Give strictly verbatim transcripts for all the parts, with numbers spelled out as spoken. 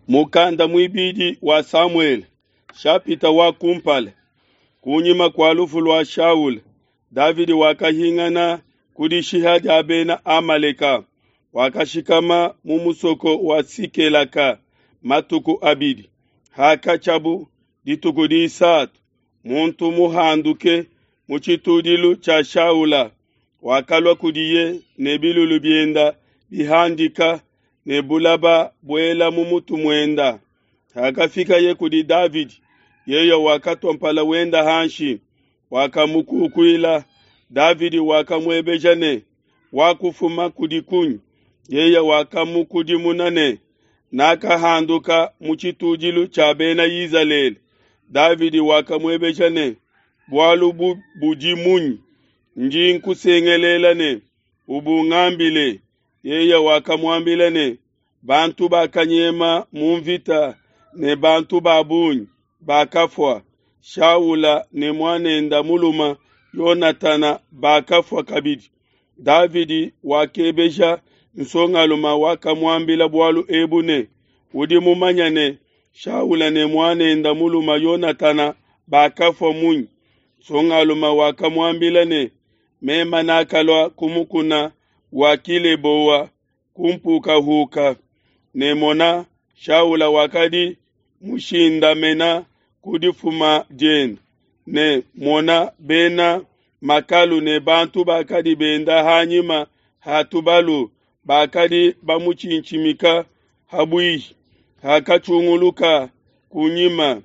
Mukanda muibidi wa Samuele, shapita wa kumpala. Kunyima kua lufu lua Shaula, Davidi wakahingana ku dishiha dia Bena Amaleka, wakashikama mu musoko wa Sikelaka matuku abidi. Hakatshiabu dituku disatu, muntu muhanduke mu tshitudilu tshia Shaula wakalua kudiye ne bilulu bienda bihandika ne bulaba buela mu mutu muenda. Hakafikaye kudi Davidi, yeye wakatua mpala wenda hanshi, wakamukukuila. Davidi wakamuebeja ne, "Wakufuma kudi kunyi?" Yeye wakamukudimuna ne, "Nakahanduka mu tshitudilu tshia Bena Izalele." Davidi wakamuebeja ne, "Bualu budi munyi? Ndi nkusengelela ne, ubungambile." Yeye wakamuambila ne, "Bantu bakanyema mu mvita ne bantu ba bungi bakafua. Shaula ne muanenda muluma Yonatana bakafua kabidi." Davidi wakebeja nsongalume wakamuambila bualu ebu ne, "Udi mumanye ne, Shaula ne muanenda muluma Yonatana bakafua munyi?" Nsongalume wakamuambila ne, "Mema nakalua ku mukuna wa Kileboa kumpukahuka, ne mona, Shaula wakadi mushindamena ku difuma diende, ne mona, bena makalu ne bantu bakadi benda hanyima ha tubalu bakadi bamutshintshimika ha buihi. Hakatshunguluka kunyima,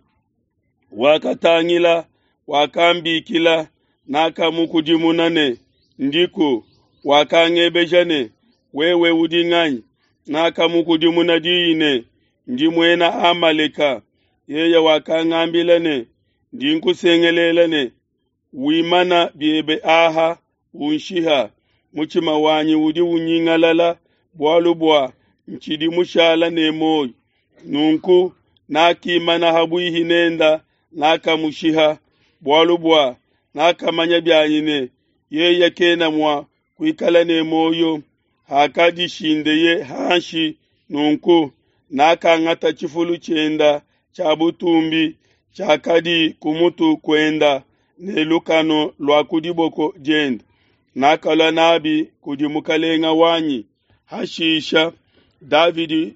wakatangila, wakambikila. Nakamukudimuna ne, Ndiku. Wakangebeja ne, Wewe udi nganyi? Nakamukudimuna diyi ne, Ndi muena Amaleka. Yeye wakangambila ne, Ndi nkusengelela ne, wimana biebe aha, unshiha. Mutshima wanyi udi unyingalala bualu bua ntshidi mushala ne muoyo. Nunku nakimana ha buihi nenda, nakamushiha, bualu bua nakamanya bianyi ne, yeye kena mua kuikala ne muoyo. Hakadishindeye hanshi nunku, nakangata tshifulu tshienda tshia butumbi tshiakadi ku mutu kuenda ne lukanu lua ku diboko dienda, nakalua nabi kudi mukalenga wanyi. Hashisha Davidi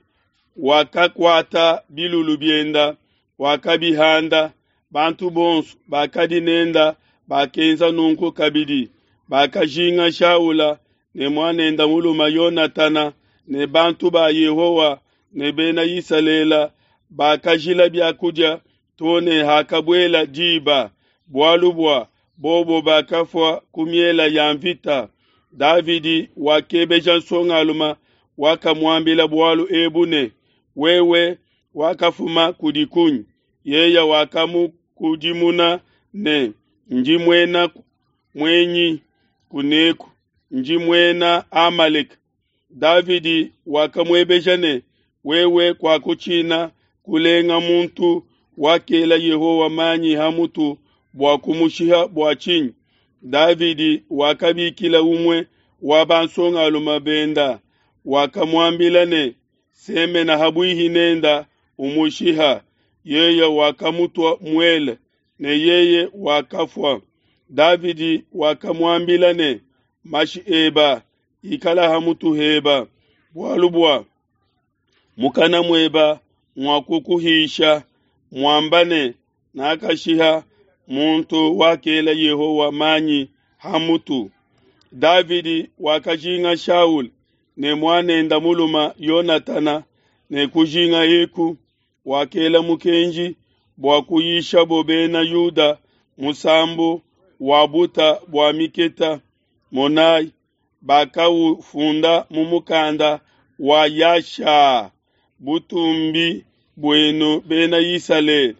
wakakuata bilulu bienda, wakabihanda. Bantu bonso bakadi nenda bakenza nunku kabidi. Bakajinga Shaula ne muanenda muluma Yonatana ne bantu ba Yehowa ne Bena Isalele bakajila bia kudia to ne hakabuela diba, bualu bua bobo bakafua ku miela ya mvita. Davidi wakebeja nsongalume wakamuambila bualu ebu ne, "Wewe wakafuma kudi kunyi?" Yeye wakamukudimuna ne, "Ndi muena muenyi kuneku, ndi muena Amaleka." Davidi wakamuebeja ne, "Wewe kuakutshina kulenga muntu wakela Yehowa manyi ha mutu bua kumushiha bua tshinyi?" Davidi wakabikila umue wa bansongalume benda, wakamuambila ne, "Semena ha buihi nenda, umushiha." Yeye wakamutua muele, ne yeye wakafua. Davidi wakamuambila ne, "Mashi eba ikala ha mutu heba, bualu bua mukana mueba muakukuhisha, muamba ne, Nakashiha muntu wakela Yehowa manyi ha mutu." Davidi wakajinga Shaula ne muanenda muluma Yonatana, ne kujinga eku wakela mukenji bua kuyishabo Bena Yuda musambu wa buta bua miketa. Monai, bakaufunda mu mukanda wa Yasha. Butumbi buenu Bena Isalele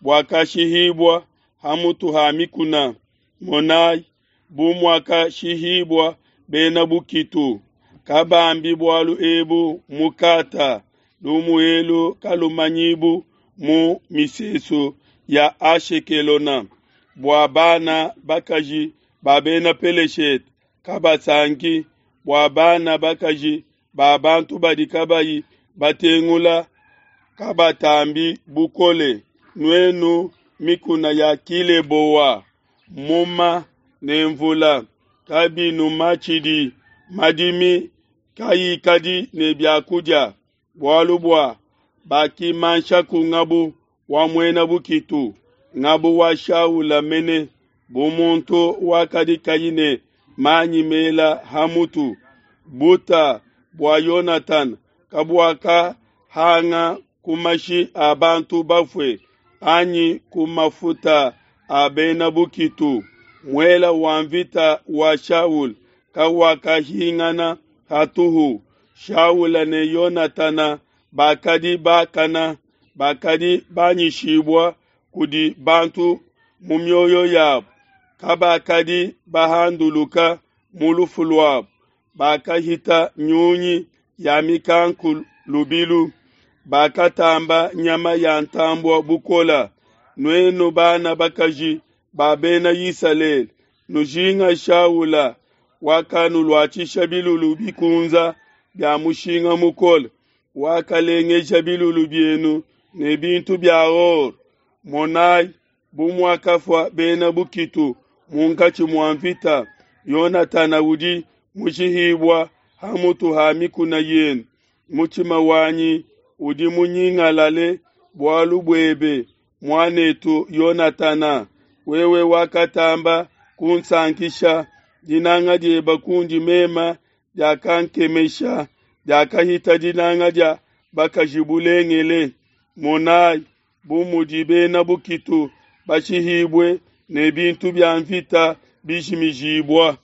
buakashihibua ha mutu ha mikuna. Monai, bu muakashihibua bena bukitu. Kabambi bualu ebu mu Kata, lumu elu kalumanyibu mu misesu ya Ashekelona, bua bana bakaji ba Bena Peleshete kabasanki, bua bana bakaji ba bantu badi kabayi batengula kabatambi bukole, nuenu mikuna ya Kileboa. Muma ne mvula kabinumatshidi, madimi kayikadi ne biakudia, bualu bua bakimanshaku ngabu wa muena bukitu, ngabu wa Shaula mene, bu muntu wakadi kayi ne manyi mela ha mutu. Buta bua Yonatana kabuakahanga ku mashi a bantu bafue, anyi ku mafuta a bena bukitu. Muela wa nvita wa Shaula kawakahingana hatuhu. Shaula ne Yonatana bakadi bakana, bakadi banyishibua kudi bantu mu mioyo yabo, kabakadi bahanduluka mu lufu luabo. Bakahita nyunyi ya mikanku lubilu, bakatamba nyama ya ntambue bukole. Nuenu bana bakaji ba Bena Isalele, nujinga Shaula wakanuluatshisha bilulu bikunza bia mushinga mukole, wakalengeja bilulu bienu ne bintu bia or. Monai, bu muakafua bena bukitu munkatshi mua nvita, Yonatana udi mushihibua ha mutu ha mikuna yenu. Mutshima wanyi udi munyingalale bualu buebe, muan'etu Yonatana. Wewe wakatamba kunsankisha, dinanga diebe kundi meme diakankemesha, diakahita dinanga dia bakaji bulengele. Monai bu mudi bena bukitu bashihibue ne bintu bia nvita bijimijibua.